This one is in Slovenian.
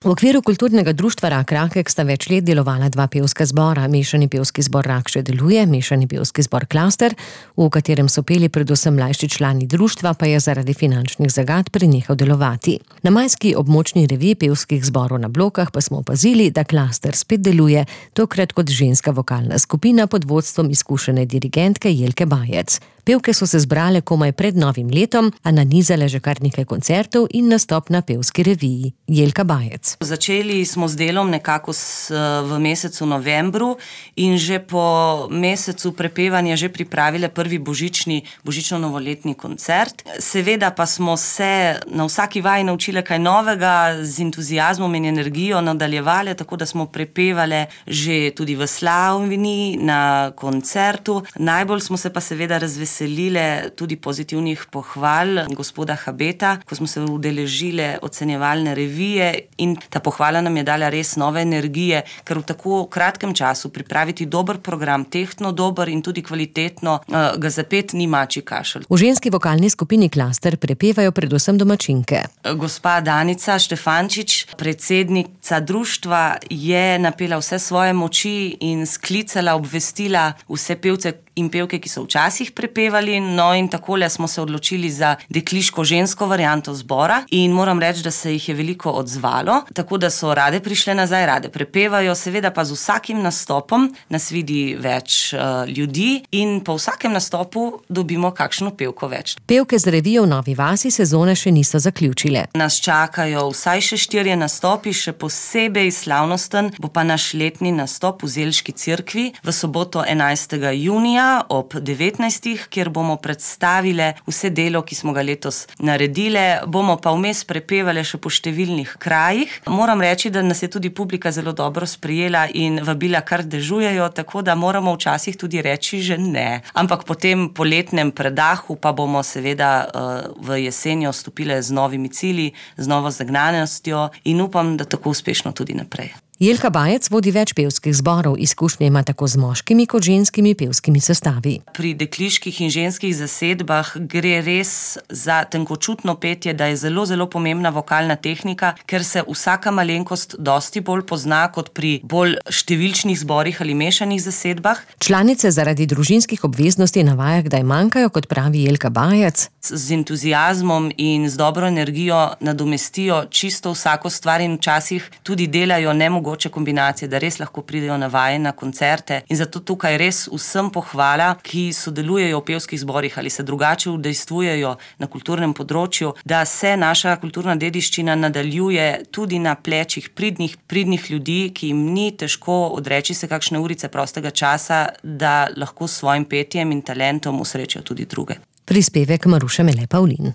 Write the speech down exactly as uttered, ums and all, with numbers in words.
V okviru kulturnega društva Rak Rakek sta več let delovala dva pevska zbora. Mešani pevski zbor Rak še deluje, mešani pevski zbor Klaster, v katerem so peli predvsem mlajši člani društva, pa je zaradi finančnih zagat prenehal delovati. Na majski območni reviji pevskih zborov na Blokah pa smo opazili, da Klaster spet deluje, tokrat kot ženska vokalna skupina pod vodstvom izkušene dirigentke Jelke Bajec. Pevke so se zbrale komaj pred novim letom, a nanizale že kar nekaj koncertov in nastop na pevski reviji. Jelka Bajec. Začeli smo z delom nekako s, v mesecu novembru in že po mesecu prepevanja že pripravile prvi božični, božično-novoletni koncert. Seveda pa smo se na vsaki vaji naučile kaj novega, z entuziazmom in energijo nadaljevale, tako da smo prepevale že tudi v Slavini na koncertu. Najbolj smo se pa seveda razveselile tudi pozitivnih pohval gospoda Habeta, ko smo se udeležile ocenjevalne revije, in ta pohvala nam je dala res nove energije, ker v tako kratkem času pripraviti dober program, tehtno dober in tudi kvalitetno, ga zapet ni mačji kašelj. V ženski vokalni skupini Klaster prepevajo predvsem domačinke. Gospa Danica Štefančič, predsednica društva, je napela vse svoje moči in sklicala, obvestila vse pevce in pevke, ki so včasih prepevali, no in takole smo se odločili za dekliško-žensko varianto zbora in moram reči, da se jih je veliko odzvalo, tako da so rade prišle nazaj, rade prepevajo, seveda pa z vsakim nastopom nas vidi več uh, ljudi in po vsakem nastopu dobimo kakšno pevko več. Pevke z revijo v Novi vasi sezone še niso zaključile. Nas čakajo vsaj še štirje nastopi, še posebej slavnosten bo pa naš letni nastop v Zelški cerkvi v soboto enajstega junija ob devetnajstih, kjer bomo predstavile vse delo, ki smo ga letos naredile, bomo pa vmes prepevale še po številnih krajih. Moram reči, da nas je tudi publika zelo dobro sprejela in vabila kar dežujejo, tako da moramo včasih tudi reči že ne. Ampak po tem poletnem predahu pa bomo seveda uh, v jesenjo stopile z novimi cilji, z novo zagnanostjo in upam, da tako uspešno tudi naprej. Jelka Bajec vodi več pevskih zborov, izkušnje ima tako z moškimi kot ženskimi pevskimi sestavi. Pri dekliških in ženskih zasedbah gre res za tenkočutno petje, da je zelo, zelo pomembna vokalna tehnika, ker se vsaka malenkost dosti bolj pozna kot pri bolj številčnih zborih ali mešanih zasedbah. Članice zaradi družinskih obveznosti na vajah kdaj manjkajo, kot pravi Jelka Bajec. Z entuziazmom in z dobro energijo nadomestijo čisto vsako stvar in včasih tudi delajo nemogoče kombinacije, da res lahko pridejo na vaje, na koncerte. In zato tukaj res vsem pohvala, ki sodelujejo v pevskih zborih ali se drugače udejstvujejo na kulturnem področju, da se naša kulturna dediščina nadaljuje tudi na plečih pridnih, pridnih ljudi, ki jim ni težko odreči se kakšne urice prostega časa, da lahko s svojim petjem in talentom usrečijo tudi druge. Prispevek Maruše Mele Pavlin.